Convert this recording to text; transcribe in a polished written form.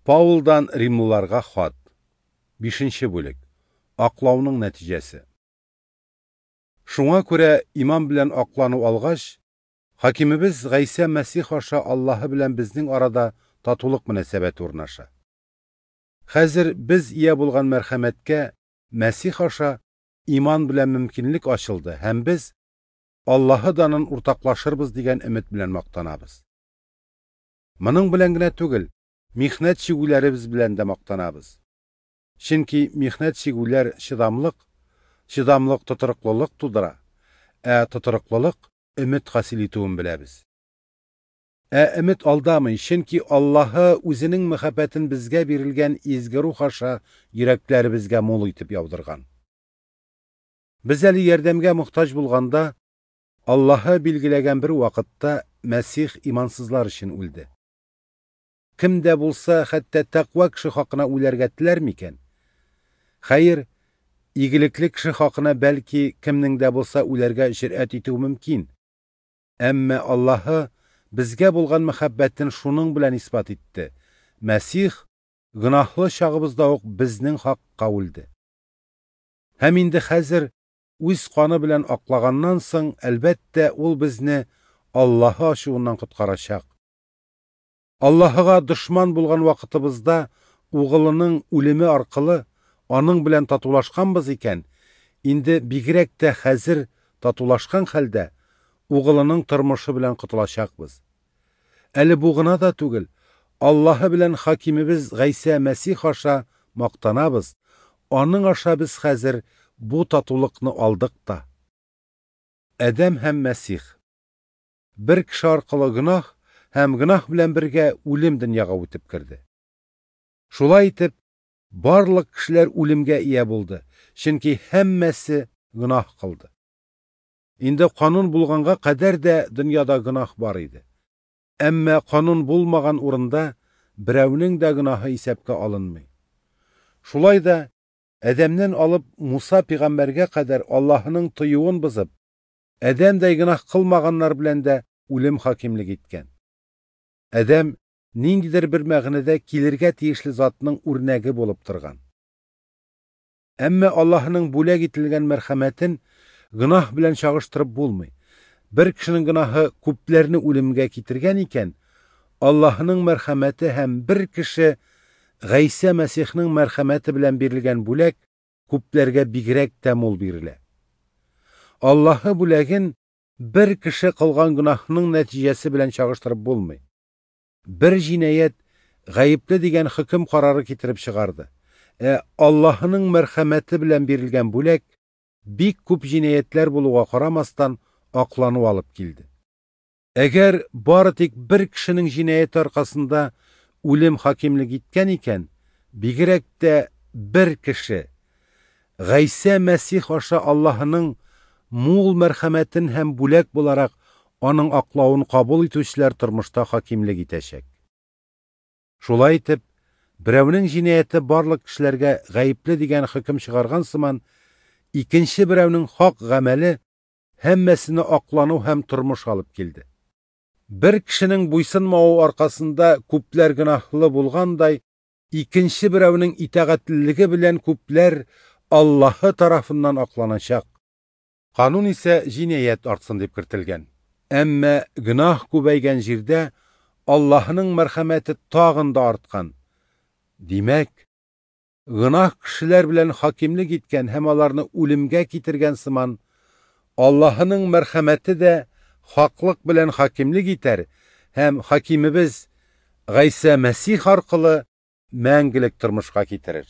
Паулдан римлыларга хат. 5 бүлек. Аклауның нәтиҗәсе. Шуңа күрә иман белән аклану алгач, хакимебез Гайсә Мәсих аша Аллаһы белән безнең арада татулык мөнәсәбәте урнаша. Хәзер без ия булган мәрхәмәткә Мәсих аша иман белән мөмкинлек ачылды һәм без Аллаһы данын уртаклашырбыз дигән өмет белән мактанабыз. Моның белән генә түгел, михнәт чигүләребез белән дә мактанабыз. Чөнки михнәт чигүләр чыдамлык, чыдамлык тотрыклылык тудыра, ә тотрыклылык өмет хасил итүен беләбез. Ә өмет алдамый, чөнки Аллаһы үзенең мәхәббәтен безгә бирелгән изге рух аша йөрәкләребезгә мул итеп яудырган. Без әле ярдәмгә мохтаҗ булганда, Аллаһы билгеләгән бер вакытта Мәсих имансызлар өчен үлде. Кем дә булса, хәтта тәкъва кеше хакына үләргә теләр микән? Хәер, игелекле кеше хакына бәлки кемнең дә булса үләргә җөрьәт итү мөмкин. Әмма Аллаһы безгә булган мәхәббәтен шуның белән исбат итте. Мәсих гөнаһлы чагыбызда ук безнең хакка үлде. Һәм инде хәзер үз каны белән аклаганнан соң, әлбәттә, ул безне Аллаһы ачуыннан коткарачак. Аллаһыга дошман булган вакытыбызда угылының үлеме аркылы аның белән татулашканбыз икән, инде бигрәк тә хәзер татулашкан хәлдә угылының тормышы белән котылачакбыз. Әле бу гына да түгел, Аллаһы белән хакимебез Гайсә Мәсих аша мактанабыз, аның аша без хәзер бу татулыкны алдык та. Адәм һәм Мәсих. Бер кеше аркылы гөнаһ һәм гөнаһ белән бергә үлем дөньяга үтеп керде. Шулай итеп, барлык кешеләр үлемгә ия булды, чөнки һәммәсе гөнаһ кылды. Инде канун булганга кадәр дә дөньяда гөнаһ бар иде. Әмма канун булмаган урында берәүнең дә гөнаһы исәпкә алынмый. Шулай да Адәмнән алып Муса пәйгамбәргә кадәр Аллаһының тыюын бозып, Адәмдәй гөнаһ кылмаганнар белән дә үлем хакимлек иткән. Адәм ниндидер бер мәгънәдә килергә тиешле затның үрнәге булып торган. Әмма Аллаһының бүләк ителгән мәрхәмәтен гөнаһ белән чагыштырып булмый. Бер кешенең гөнаһы күпләрне үлемгә китергән икән, Аллаһының мәрхәмәте һәм бер кеше Гайсә Мәсихның мәрхәмәте белән бирелгән бүләк күпләргә бигрәк тә мул бирелә. Аллаһы бүләген бер кеше кылган гөнаһның нәтиҗәсе белән чагыштырып булмый. Бер җинаять гаепле дигән хөкем карары китереп чыгарды. Ә Аллаһының мәрхәмәте белән бирелгән бүләк бик күп җинаятьләр булуга карамастан аклану алып килде. Әгәр бары тик бер кешенең җинаяте аркасында үлем хакимлек иткән икән, бигрәк тә бер кеше Гайсә Мәсих аша Аллаһының мул мәрхәмәтен һәм бүләк буларак аның аклавын кабул итүчеләр тормышта хакимлек итәчәк. Шулай итеп, берәүнең җинаяте барлык кешеләргә гаепле дигән хөкем чыгарган сыман, икенче берәүнең хак гамәле һәммәсенә аклану һәм тормыш алып килде. Бер кешенең буйсынмавы аркасында күпләр гөнаһлы булгандай, икенче берәүнең итагатьлелеге белән күпләр Аллаһы тарафыннан акланачак. Канун исә җинаять артсын дип кертелгән. Әмма гөнаһ күбәйгән җирдә Аллаһының мәрхәмәте тагын да арткан. Димәк, гөнаһ кешеләр белән хакимлек иткән һәм аларны үлемгә китергән сыман, Аллаһының мәрхәмәте дә хаклык белән хакимлек итәр һәм хакимебез Гайсә Мәсих аркылы мәңгелек тормышка китерер.